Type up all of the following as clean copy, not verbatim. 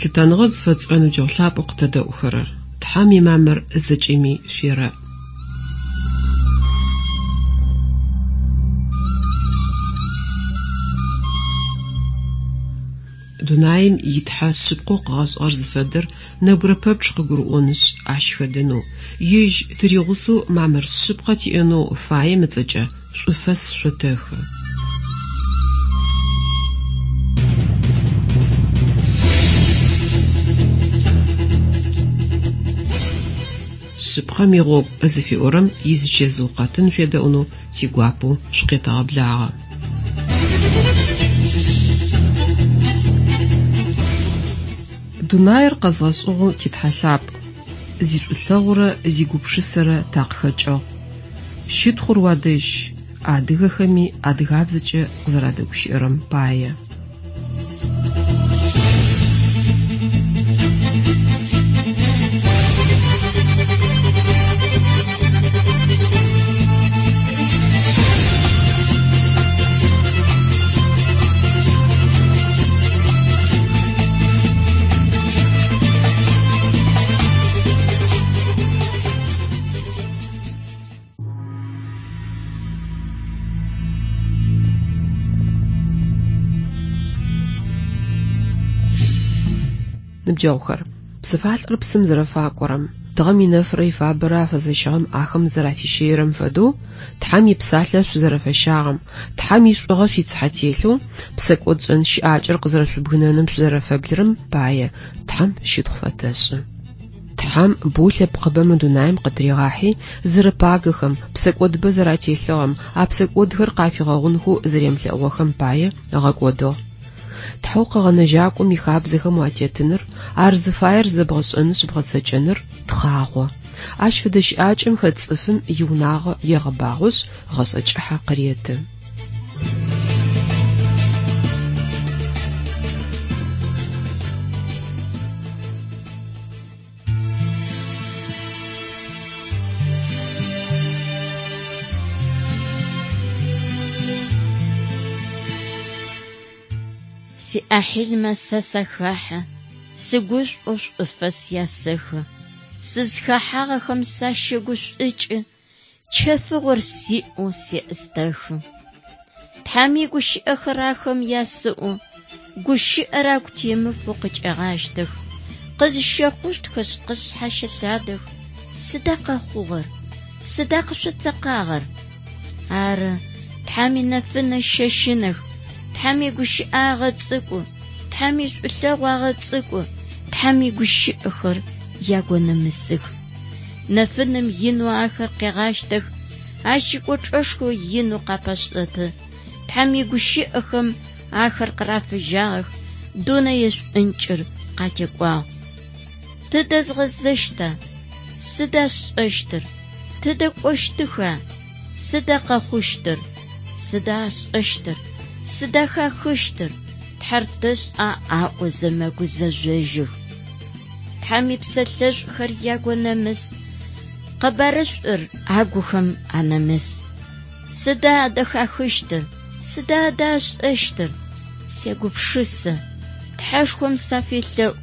Лъытэныгъэ зыфэтшӏырэ ныбджэгъу лъапӏэу къытэдэӏухэрэр, Тхьэм имамыр зэкӏэми шъуерэӏ. Дунаим и Тхьэ шъыпкъэу къыгъэшӏыгъэр зыфэдэр нэбгырэ пэпчъ къыгурыӏонышъ, ащ хэдэнэу, ежь тыригъусэу мамыр шъыпкъэ тиӏэнэу фаем ыцӏэкӏэ шӏуфэс шъотэхы. Шъыпкъэм игъогу зыфиӏорэм изычэзыу къэтын шъуедэӏунэу тигуапэу шъукъетэгъэблагъэ. Дунаир къэзгъэшӏыгъэу ти Тхьэ лъапӏ, зишӏулъэгъурэ зигупшысэрэ такъыхэкӏыгъ. Щытхъур уадэжь, адыгэхэми адыгабзэкӏэ къызэрадэгущыӏэрэм пае. Ныбджэгъухэр, псыфалӏэр псым зэрэфакӏорэм, тыгъэм инэфырэ ифабэрэ афэзэщыгъэм ахэм зэрафищэирэм фэдэу, Тхьэм ипсалъэ шъузэрэфэщагъэм, Тхьэм ишӏугъэ шъуицыхьэ телъэу, псэкӏодшӏэн щыӏакӏэр къызэрэшъубгынэным шъузэрэфэблырэм пае Тхьэм щытхъу фэтэшӏы. Тхьэм боу лъэпкъыбэ мы дунаим къытыригъахьи, зэрэпагэхэм, псэкӏодыбэ зэрателъыгъэм, а псэкӏодхэр къафигъэгъунхэу зэремылъэӏугъэхэм пае ыгъэкӏодыгъ. Тхьэу Къэгъэнэжьакӏом ихабзэхэм уатетыныр, ар зыфаер зэбгъэшӏэнышъ бгъэцэкӏэныр тхъагъо. Ащ фэдэ щыӏакӏэм хэт цӏыфым иунагъо егъэбагъошъ, гъэшӏэ кӏыхьэ къыреты. Сиӏахьилмэ сэ сахэхьэ, сыгушӏоу шӏуфэс ясэхы. Сызхэхьагъэхэм сащэгушӏукӏы, чэфыгъор сиӏэу сеӏыстэхы. Тхьэм игущыӏэхэр ахэм ясэӏо, гущыӏэр агу темыфэу къыкӏагъащтэх, къызщэхъущтхэшъ къысшъхьащэлъадэх. Сыда къэхъугъэр? Сыда къышъоцэкъагъэр? Ары, Тхьэм инэфынэ щэщынэх, Тхьэм игущыӏэ агъэцӏыкӏу, Тхьэм ишӏулъэгъу агъэцӏыкӏу, Тхьэм игущыӏэхэр ягонэмысых. Нэфыным инэу ахэр къегъащтэх, ащ икӏочӏэшхо инэу къапэшӏэты. Тхьэм игущыӏэхэм ахэр къырафыжьагъэх, дунэе шӏункӏыр къатекӏуагъ. Тыдэ згъэзэщта? Сыда сшӏэщтыр? Тыдэ кӏощтыха? Сыда къэхъущтыр? Сыда ашӏэщтыр? Сыда хахыщтыр? Тхьэр тэшӏа аӏозэ мэгузэжъожьых. Тхьэм ипсэлъэшӏухэр ягонэмыс, къэбарышӏур агухэм анэмыс. Сыда адэ хахыщтыр? Сыда адэ ашӏэщтыр? Сегупшысэ. Тхьэшхом сафелъэӏу,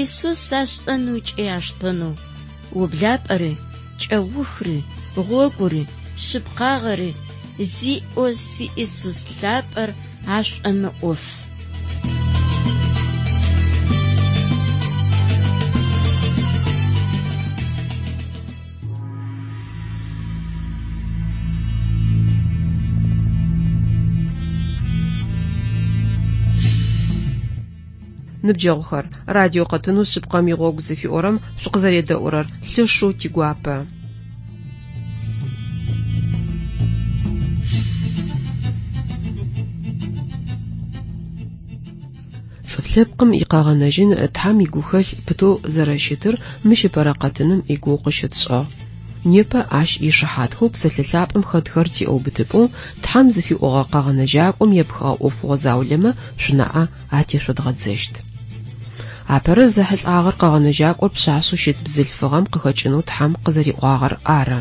Исус ашӏэнэу ыкӏи аштэнэу, ублапӏэри, кӏэухри, гъогури, шъыпкъагъэри зиӏэу си Исус лъапӏэр ашӏомыӏоф. Ныбджэгъухэр, радио къэтынэу Шъыпкъэм игъогу зыфиӏорэм шъукъызэредэӏурэр лъэшэу тигуапэ. Цӏыф лъэпкъым икъэгъэнэжьын Тхьэм игухэлъ пытэу зэрэщытыр мыщ ыпэрэ къэтыным игугъу къыщытшӏыгъ. Непэ ащ ишыхьатхэу Псэлъэ лъапӏэм хэтхэр тиӏэубытыпӏэу Тхьэм зыфиӏогъэ Къэгъэнэжьакӏом епхыгъэ ӏофыгъо заулэмэ шъунаӏэ атешъодгъэдзэщт. Апэрэр зэхьылӏагъэр Къэгъэнэжьакӏор пшъашъэу щыт бзылъфыгъэм къыхэкӏынэу Тхьэм къызэриӏуагъэр ары.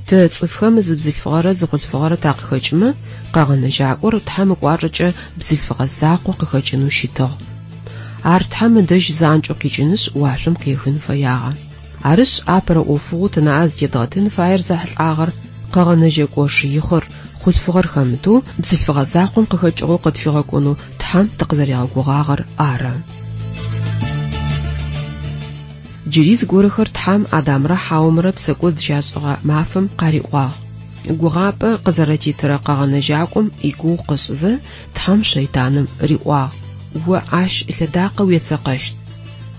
Тэ цӏыфхэм зы бзылъфыгъэрэ зы хъулъфыгъэрэ такъыхэкӏымэ, Къэгъэнэжьакӏор Тхьэм ыкӏуачӏэкӏэ бзылъфыгъэ закъо къыхэкӏынэу щытыгъ. Ар Тхьэм ыдэжь занкӏэу къикӏынышъ, уашъом къехын фэягъэ. Арышъ, апэрэ ӏофыгъоу тынаӏэ зытедгъэтын фаер зэхьылӏагъэр Къэгъэнэжьэкӏо Шыихъыр, хъулъфыгъэр хэмытэу, бзылъфыгъэ закъом къыхэкӏыгъэу къытфигъэкӏонэу Тхьэм тыкъызэригъэгугъагъэр ары. Джыри зыгорэхэр Тхьэм Адамрэ Хьаомрэ псэкӏод зыщашӏэгъэ мафэм къариӏуагъ. Гугъапӏэ къызэрэтитырэ Къэгъэнэжьакӏом игугъу къышӏызэ, Тхьэм шэйтаным риӏуагъ, О ащ ылъэдакъэ уецэкъэщт.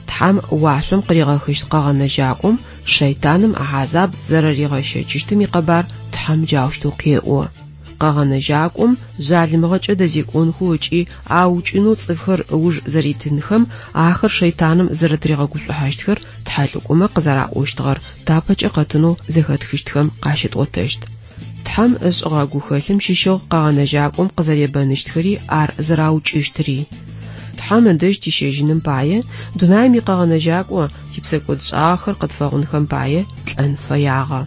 Тхьэм уашъом къыригъэхыщт Къэгъэнэжьакӏом шэйтаным хьазаб зэрэригъэщэчыщтым икъэбар Тхьэм джаущтэу къеӏо. Къэгъэнэжьакӏом жъалымыгъэкӏэ дэзекӏонхэу ыкӏи аукӏынэу цӏыфхэр ыуж зэритынхэм ахэр шэйтаным зэрэтыригъэгушӏухьащтхэр тхьэлӏыкӏомэ къызэраӏощтыгъэр тапэкӏэ къэтынэу зэхэтхыщтхэм къащытӏотэщт. Тхьэм ышӏыгъэ гухэлъым щыщыгъ Къэгъэнэжьакӏом къызэребэныщтхэри ар зэраукӏыщтыри. Тхьэм ыдэжь тищэжьыным пае, дунаим и Къэгъэнэжьакӏо типсэкӏодшӏагъэхэр къытфэгъунхэм пае лӏэн фэягъэ.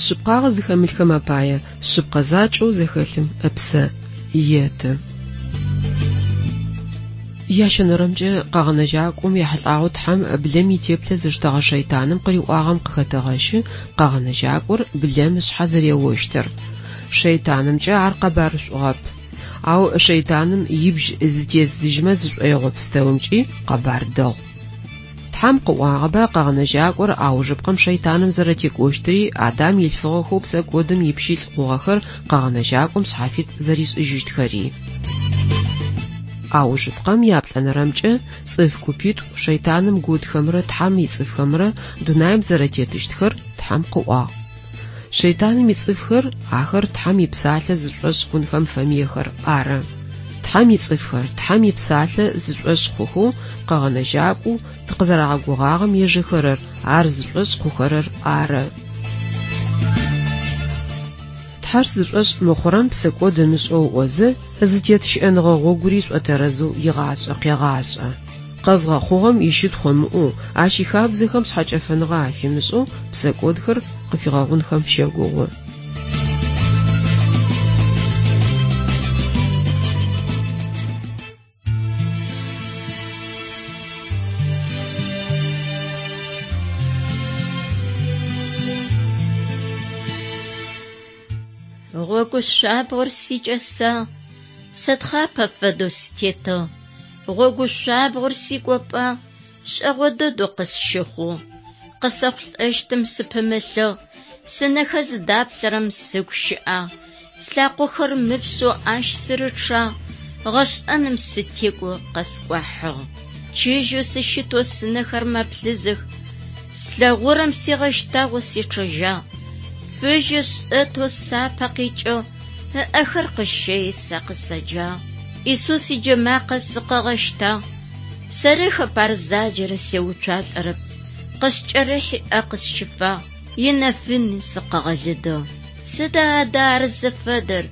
Шъыпкъагъэ зыхэмылъхэм апае шъыпкъэ закӏэу зэхэлъым ыпсэ еты. Ящэнэрэмкӏэ Къэгъэнэжьакӏом ехьылӏагъэу Тхьэм блэм итеплъэ зыштэгъэ шэйтаным къыриӏуагъэм къыхэтэгъэщы Къэгъэнэжьакӏор блэм ышъхьэ зэреощтыр. Шэйтанымкӏэ ар къэбарышӏугъэп. Ау шэйтаным ибжь зытездзыжьмэ зышӏоигъо пстэумкӏи къэбар дэгъу. Тхьэм къыӏуагъэба Къэгъэнэжьакӏор аужыпкъэм шэйтаным зэрэтекӏощтыри, Адам илъфыгъэхэу псэкӏодым ипщылӏ хъугъэхэр Къэгъэнэжьакӏом шъхьафит зэришӏыжьыщтхэри. Аужыпкъэм яплӏэнэрэмкӏэ цӏыф купитӏу шэйтаным готхэмрэ Тхьэм ицӏыфхэмрэ дунаим зэрэтетыщтхэр Тхьэм къыӏуагъ. Шэйтаным ицӏыфхэр, ахэр Тхьэм ипсалъэ зышӏошъ хъунхэм фэмыехэр ары. Тхьэм ицӏыфхэр, Тхьэм ипсалъэ зышӏошъ хъухэу, Къэгъэнэжьакӏоу тыкъызэрагъэгугъагъэм ежэхэрэр, ар зышӏошъ хъухэрэр ары. Тхьэр зышӏошъ мыхъурэм псэкӏод ымышӏэу ыӏозэ, зытет щыӏэныгъэ гъогури шӏотэрэзэу игъашӏэ къегъашӏэ. Къэзгъэхъугъэм ищытхъу ымыӏоу, ащ ихабзэхэм шъхьэкӏэфэныгъэ афимышӏэу псэкӏодхэр къыфигъэгъунхэм щэгугъы. Гъогу шъуабгъор сикӏэсагъ, сэ тхъапэ фэдэу сытетыгъ. Гъогу шъуабгъор сикӏопӏагъ, шӏэгъо дэдэу къысщыхъугъ. Къысэхъулӏэщтым сыпымылъыгъ, сынэхэр зыдаплъэрэм сыгу щыӏагъ. Слъакъохэр мыпшъэу ащ сырычъагъ, гъэшӏэным сытекӏоу къэскӏуахьыгъ. Чыжьэу сыщытэу сынэхэр мэплъызых, слъэгъурэм сигъэщтагъэу сечъэжьагъ. Фыжьы шӏэтэу сапэ къикӏыгъ, ыӏэхэр къыщэи сэ къысэджагъ. Исус иджэмакъэ сыкъыгъэщтагъ, сэрыхэп ар заджэрэ сеуцуалӏэрэп. Къыскӏэрыхьи ӏэ къысщыфагъ, инэфын сыкъыгъэлыдыгъ. Сыда адэ ар зыфэдэр?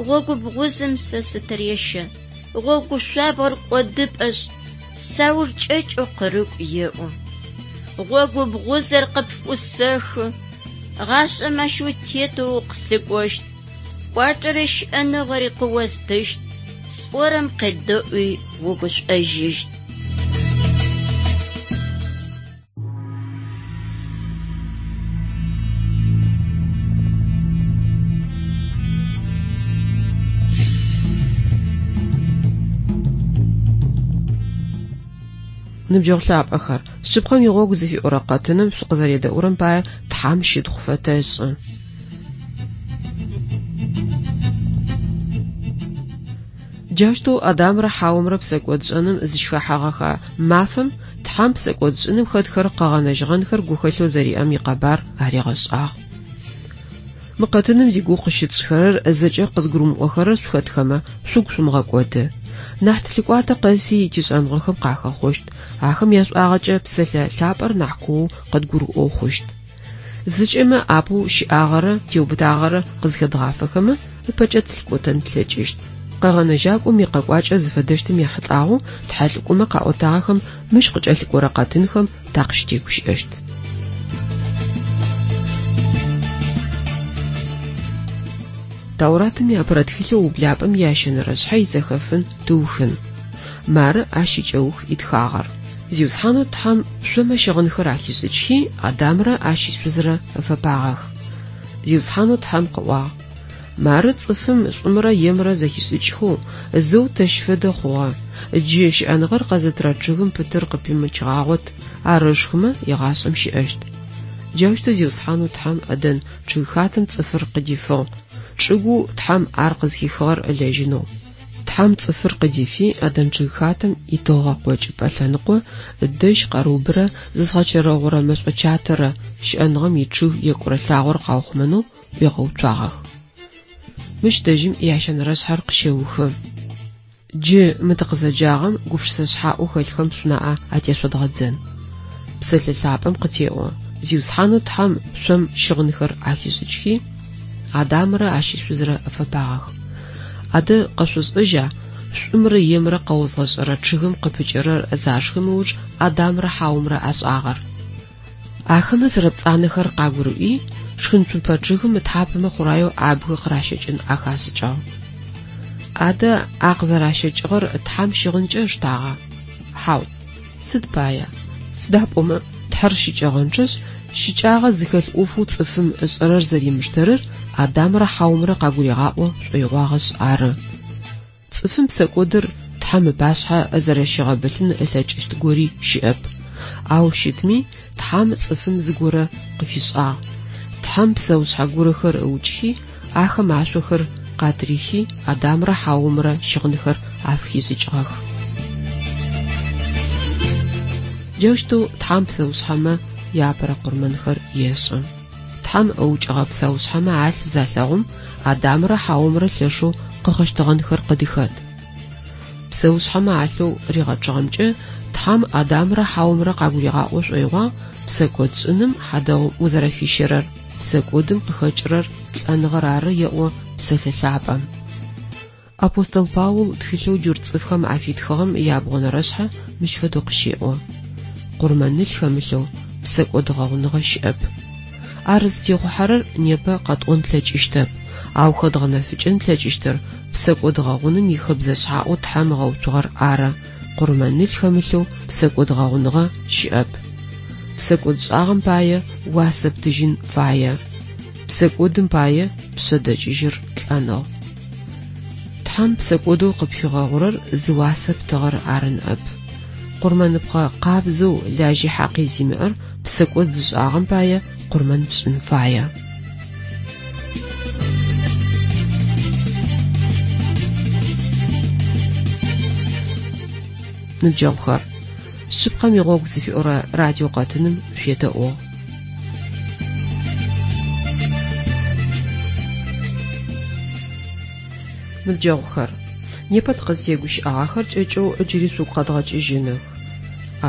Гъогу бгъузым сэ сытырещэ, гъогу шъуабгъор кӏодыпӏэшъ, сауж кӏэкӏэу къырыкӏу еӏо. Гъогу бгъузэр къыпфӏусэхы, гъашӏэм ащ утетэу укъыслъыкӏощт, кӏуачӏэрэ щыӏэныгъэри къыостыщт, сӏорэм къедэӏуи угушӏожьыщт. Ныбджэгъу лъапӏэхэр, шъыпкъэм игъогу зыфиӏорэ къэтыным шъукъызэредэӏурэм пае Тхьэм щытхъу фэтэшӏы. Джаущтэу Адамрэ Хьаомрэ псэкӏодшӏэным зыщыхэхьэгъэхэ мафэм Тхьэм псэкӏодшӏыным хэтхэр къэгъэнэжьыгъэнхэр гухэлъэу зэриӏэм икъэбар аригъэшӏагъ. Мы къэтыным зигугъу къыщытшӏхэрэр зэкӏэ къызгурымыӏохэрэр шъухэтхэмэ, шъугу шъумыгъэкӏоды. Нахь тылъыкӏуатэ къэси тишӏэныгъэхэм къахэхъощт, ахэм яшӏуагъэкӏэ псэлъэ лъапӏэр нахь куоу къыдгурыӏоу хъущт. Зэкӏэмэ апэу щыӏагъэрэ теубытагъэрэ къызхэдгъафэхэмэ, ыпэкӏэ тылъыкӏотэн тлъэкӏыщт. Къэгъэнэжьакӏом икъэкӏуакӏэ зыфэдэщтым ехьылӏагъэу тхьэлӏыкӏомэ къаӏотагъэхэм мыщ къыкӏэлъыкӏорэ къэтынхэм такъыщытегущыӏэщт. Тауратым иапэрэ тхылъэу Ублапӏэм ящэнэрэ шъхьэ изэхэфын тыухын. Мары ащ икӏэух итхагъэр. Зиусхьанэу Тхьэм шъомэ щыгъынхэр ахишӏыкӏхи, Адамрэ ащ ишъузрэ ыфэпагъэх. Зиусхьанэу Тхьэм къыӏуагъ, Мары цӏыфым шӏумрэ емрэ зэхишӏыкӏхэу, зэу тэщ фэдэ хъугъэ. Джы щыӏэныгъэр къэзытырэ чъыгым пытыр къыпимычыгъагъот, ар ышхымэ, егъашӏэм щыӏэщт. Джаущтэу Зиусхьанэу Тхьэм ӏэдэн чъыгхатэм цӏыфыр къыдифыгъ, чӏыгоу Тхьэм ар къызхихыгъэр ылэжьынэу. Тхьэм цӏыфыр къыдифи, ӏэдэн чъыгхатэм итыгъэ къокӏыпӏэ лъэныкъо дэжь къэрыубрэ зызгъэчэрэгъурэ мэшӏо чатэрэ щыӏэныгъэм ичъыг екӏурэ лъагъор къаухъумэнэу ӏуигъэуцуагъэх. Мыщ дэжьым ящэнэрэ шъхьэр къыщеухы. Джы мы тыкъызэджагъэм гупшысэ шъхьаӏэу хэлъхэм шъунаӏэ атешъодгъэдзэн. Псэлъэ лъапӏэм къытеӏо, Зиусхьанэу Тхьэм шъом щыгъынхэр ахишӏыкӏхи, Адамрэ ащ ишъузрэ ыфэпагъэх. Адэ къэшъошӏэжьа, шӏумрэ емрэ къэозгъэшӏэрэ чъыгым къыпыкӏэрэр зашхым ыуж Адамрэ Хьаомрэ ашӏагъэр? Ахэмэ зэрэпцӏанэхэр къагурыӏуи, шхынцупэ чъыгым ытхьапэмэ хъураеу абгы къыращэкӏын ахашӏыкӏыгъ. Адэ а къызэращэкӏыгъэр Тхьэм щыгъынкӏэ ыштагъа? Хьау. Сыд пая? Сыда пӏомэ Тхьэр щыкӏэгъэнчъэшъ, щыкӏагъэ зыхэлъ ӏофэу цӏыфым ышӏэрэр зэримыштэрэр Адамрэ Хьаомрэ къагуригъаӏо шӏоигъуагъэшъ ары. Цӏыфым псэкӏодыр Тхьэм ыпашъхьэ зэрэщигъэбылъын ылъэкӏыщт гори щыӏэп. Ау щытми, Тхьэм цӏыфым зыгорэ къыфишӏагъ. Тхьэм псэушъхьэ горэхэр ыукӏхи, ахэм ашъохэр къатырихи, Адамрэ Хьаомрэ щыгъынхэр афыхишӏыкӏыгъэх. Джаущтэу Тхьэм псэушъхьэмэ яапэрэ къурмэнхэр ешӏы. Тхьэм ыукӏыгъэ псэушъхьэмэ алъ залъэгъум, Адамрэ Хьаомрэ лъэшэу къыгъэщтэгъэнхэр къыдыхэт. Псэушъхьэмэ алъэу ригъэчъыгъэмкӏэ Тхьэм Адамрэ Хьаомрэ къагуригъаӏо шӏоигъуагъ псэкӏодшӏыным хьадэгъум узэрэфищэрэр, псэкӏодым къыхэкӏырэр лӏэныгъэр ары еӏо Псэлъэ лъапӏэм. Апостол Паул тхылъэу джурт цӏыфхэм афитхыгъэм ябгъонэрэ шъхьэ мыщ фэдэу къыщеӏо, Къурмэнылъ хэмылъэу псэкӏод гъэгъуныгъэ щыӏэп. Ар зытехъухьэрэр непэ къэтӏон тлъэкӏыщтэп, ау хэдгъэнэфыкӏын тлъэкӏыщтыр псэкӏод гъэгъуным ихэбзэ шъхьаӏэу Тхьэм ыгъэуцугъэр ары, къурмэнылъ хэмылъэу псэкӏод гъэгъуныгъэ щыӏэп. Псэкӏодшӏагъэм пае уасэ птыжьын фае. Псэкӏодым пае пшъэдэкӏыжьыр лӏэныгъ. Тхьэм псэкӏодэу къыпфигъэгъурэр зыуасэ птыгъэр ары ныӏэп. Къурмэныпхъэ къабзэу лажьи хьакъи зимыӏэр псэкӏод зышӏагъэм пае къурмэн пшӏын фае. Ныбджэгъухэр, шъыпкъэм игъогу зыфиӏорэ радио къэтыным шъуедэӏугъ. Ныбджэгъухэр, непэ тыкъызтегущыӏагъэхэр кӏэкӏэу джыри шъугу къэдгъэкӏыжьыных.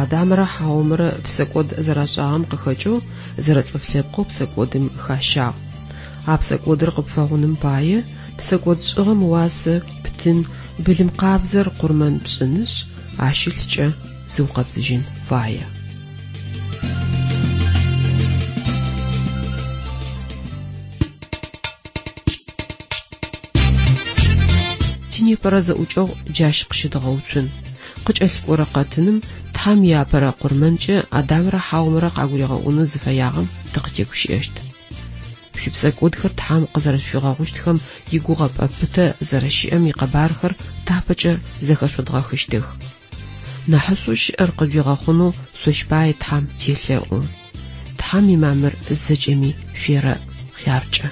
Адамрэ Хьаомрэ псэкӏод зэрашӏагъэм къыхэкӏэу зэрэцӏыф лъэпкъэу псэкӏодым хащагъ. А псэкӏодыр къыпфэгъуным пае псэкӏод шӏыгъэм уасэ птын, былым къабзэр къурмэн пшӏынышъ, ащ ылъкӏэ зыукъэбзыжьын фае. Тинепэрэ зэӏукӏэгъу джащ къыщыдгъэуцун. Къыкӏэлъыкӏорэ къэтыным Тхьэм иапэрэ къурмэнкӏэ Адамрэ Хьаомрэ къагуригъэӏонэу зыфэягъэм тыкъытегущыӏэщт. Шъуипсэкӏодхэр Тхьэм къызэрэшъуфигъэгъущтхэм игугъэпӏэ пытэ зэрэщыӏэм икъэбархэр тапэкӏэ зэхэшъодгъэхыщтых. Нахьышӏоу щыӏэр къыжъуигъэхъунэу шъощ пае Тхьэм телъэӏу. Тхьэм имамыр зэкӏэми шъуерэӏ, хъяркӏэ.